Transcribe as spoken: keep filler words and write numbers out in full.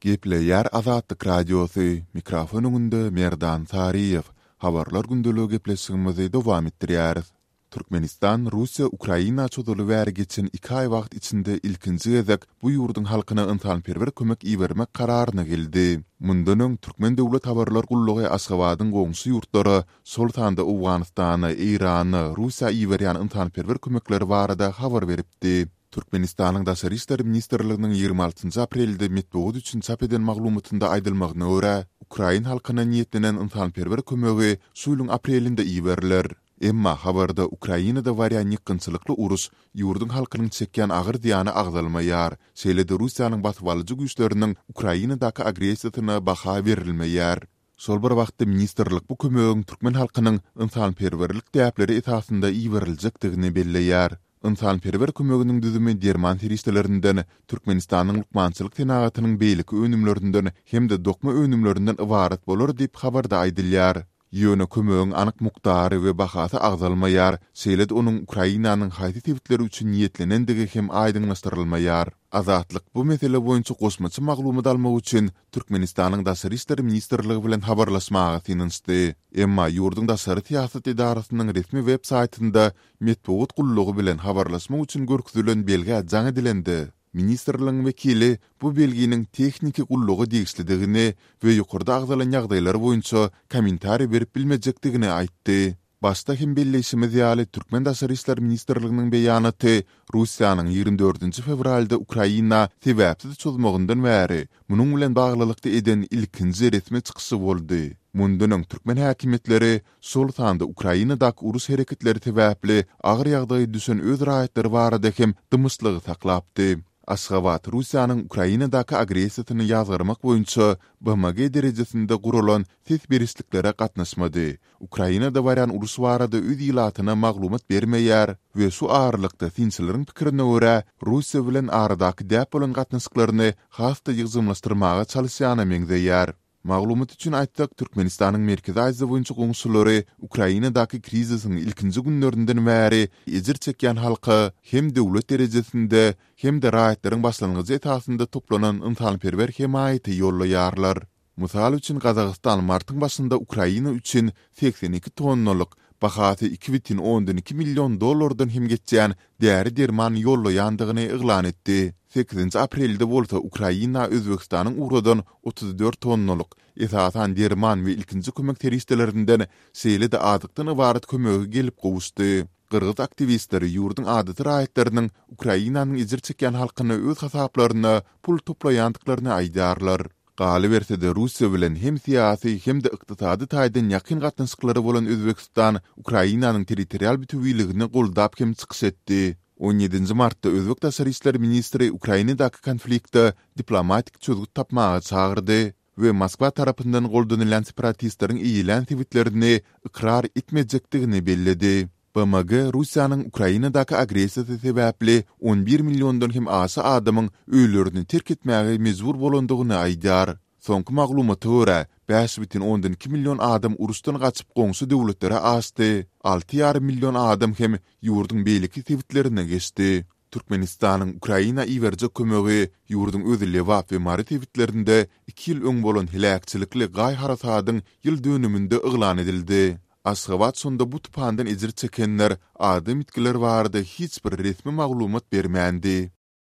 Gepleýär Azatlyk Radiosy, mikrofon öňünde Merdan Saryýew. Habarlar gündeligi gepleşigimizi dowam etdirýäris. Türkmenistan Russiýa Ukraina çozuly bäri geçen iki aý wagt içinde ilkinji gezek bu ýurduň halkyna ynsanperwer kömek ibermek kararyna geldi. Mundan öň Türkmen döwlet habarlar gullugy Aşgabadyň goňşy ýurtlara, şol sanda Owganystana, Eýrana, Russiýa iberýän ynsanperwer kömekleri barada habar beripdi. Türkmenistanyň Daşary işler ministrliginiň ýigrimi altynjy aprelde metbugat üçin çap eden maglumatynda aýdylmagyna görä, ukrain halkyna niýetlenen ynsanperwer kömegi şu ýylyň aprelinde iberiler. Emma habarda Ukrainada barýan ýykgynçylykly uruş, ýurduň halkynyň çekýän agyr zyýany agzalmaýar, şeýle-de Russiýanyň basybalyjy güýçleriniň Ukrainadaky agressiýasyna baha berilmeýär. Şol bir wagtda ministrlik bu kömegiň türkmen halkynyň ynsanperwerlik däpleri esasynda iberiljekdigini belleýär. Ynsanperwer kömeginiň düzümi derman serişdelerinden, Türkmenistanyň lukmançylyk senagatynyň beýleki önümlerinden hem-de dokma önümlerinden ybarat bolar diýip, habarda aýdylýar. Ýöne kömegiň anyk mukdary we bahasy agzalmaýar, şeýle-de onuň Ukrainanyň haýsy sebitleri üçin niýetlenendigi hem aýdyňlaşdyrylmaýar. Azatlyk bu mesele boýunça goşmaça maglumat almak üçin Türkmenistanyň Daşary işler ministrligi bilen habarlaşmaga synanyşdy. Emma ýurduň daşary syýasat edarasynyň resmi web saýtynda metbugat gullugy bilen habarlaşmak üçin görkezilen belgä jaň edilende, ministrligiň wekili bu belginiň tehniki gulluga degişlidigini we ýokarda agzalan ýagdaýlar boýunça kommentariý berip bilmejekdigini aýtdy. Başda hem belleýşimiz ýaly, türkmen Daşary işler ministrliginiň beýanaty Russiýanyň ýigrimi dördünji fewralda Ukraina sebäpsiz çozmagyndan bäri munuň bilen baglylykda eden ilkinji resmi çykyşy boldy. Mundan öň türkmen häkimiýetleri, şol sanda Ukrainadaky uruş hereketleri sebäpli agyr ýagdaýa düşen öz raýatlary barada hem dymyşlygy saklapdy. Aşgabat Russiýanyň Ukrainadaky agressiýasyny ýazgarmak boýunça B M G derejesinde guralan ses berişliklere gatnaşmady, Ukrainada barýan uruş barada öz ilatyna maglumat bermeýär we şu aralykda synçylaryň pikirine görä, Russiýa bilen aradaky däp bolan gatnaşyklaryny has-da ýygjamlaşdyrmaga çalyşýana meňzeýär. Maglumat üçin aýtsak, Türkmenistanyň Merkezi Aziýa boýunça goňşulary Ukrainadaky krizisiň ilkinji günlerinden bäri ejir çekýän halka hem döwlet derejesinde, hem-de raýatlaryň başlangyjy esasynda toplanan ynsanperwer hemaýaty ýollaýarlar. Mysal üçin, Gazagystan martyň başynda Ukraina üçin segsen iki tonnalyk, bahasy iki bütin ondan iki million dollardan hem geçýän däri-derman ýollaýandygyny yglan etdi. Sekizinji aprelde bolsa Ukraina Özbegistanyň ugradan otuz dört tonnalyk, esasan derman we ilkinji kömek serişdelerinden, şeýle-de azykdan ybarat kömegi gelip gowuşdy. Gyrgyz aktiwistleri ýurduň adaty raýatlarynyň Ukrainanyň ejir çekýän halkyna öz hasaplaryna pul toplaýandyklaryny aýdýarlar. Galyberse-de, Russiýa bilen hem syýasy, hem-de ykdysady taýdan ýakyn gatnaşyklary bolan Özbegistan Ukrainanyň territorial bütewiligini goldap hem çykyş etdi. On ýedinji martda özbek daşary işler ministri Ukrainadaky konfliktde diplomatik çözgüt tapmaga çagyrdy we Moskwa tarapyndan goldanylýan separatistleriň eýelän sebitlerini ykrar etmejekdigini belledi. B M G Russiýanyň Ukrainadaky agressiýasy sebäpli on bir milliondan hem aşa adamyň öýlerini terk etmäge mejbur bolandygyny aýdýar. Soňky maglumata görä, bäş bütin ondan iki million adam uruşdan gaçyp goňşy döwletlere aşdy, alty ýarym million adam hem ýurduň beýleki sebitlerine geçdi. Türkmenistanyň Ukraina iberjek kömegi ýurduň öz Lebap we Mary sebitlerinde iki ýyl öň bolan heläkçilikli gaý-harasadyň ýyl dönüminde yglan edildi. Aşgabat şonda bu tupandan ejir çekenler, adam ýitgiler barada hiç bir resmi maglumat bermändi.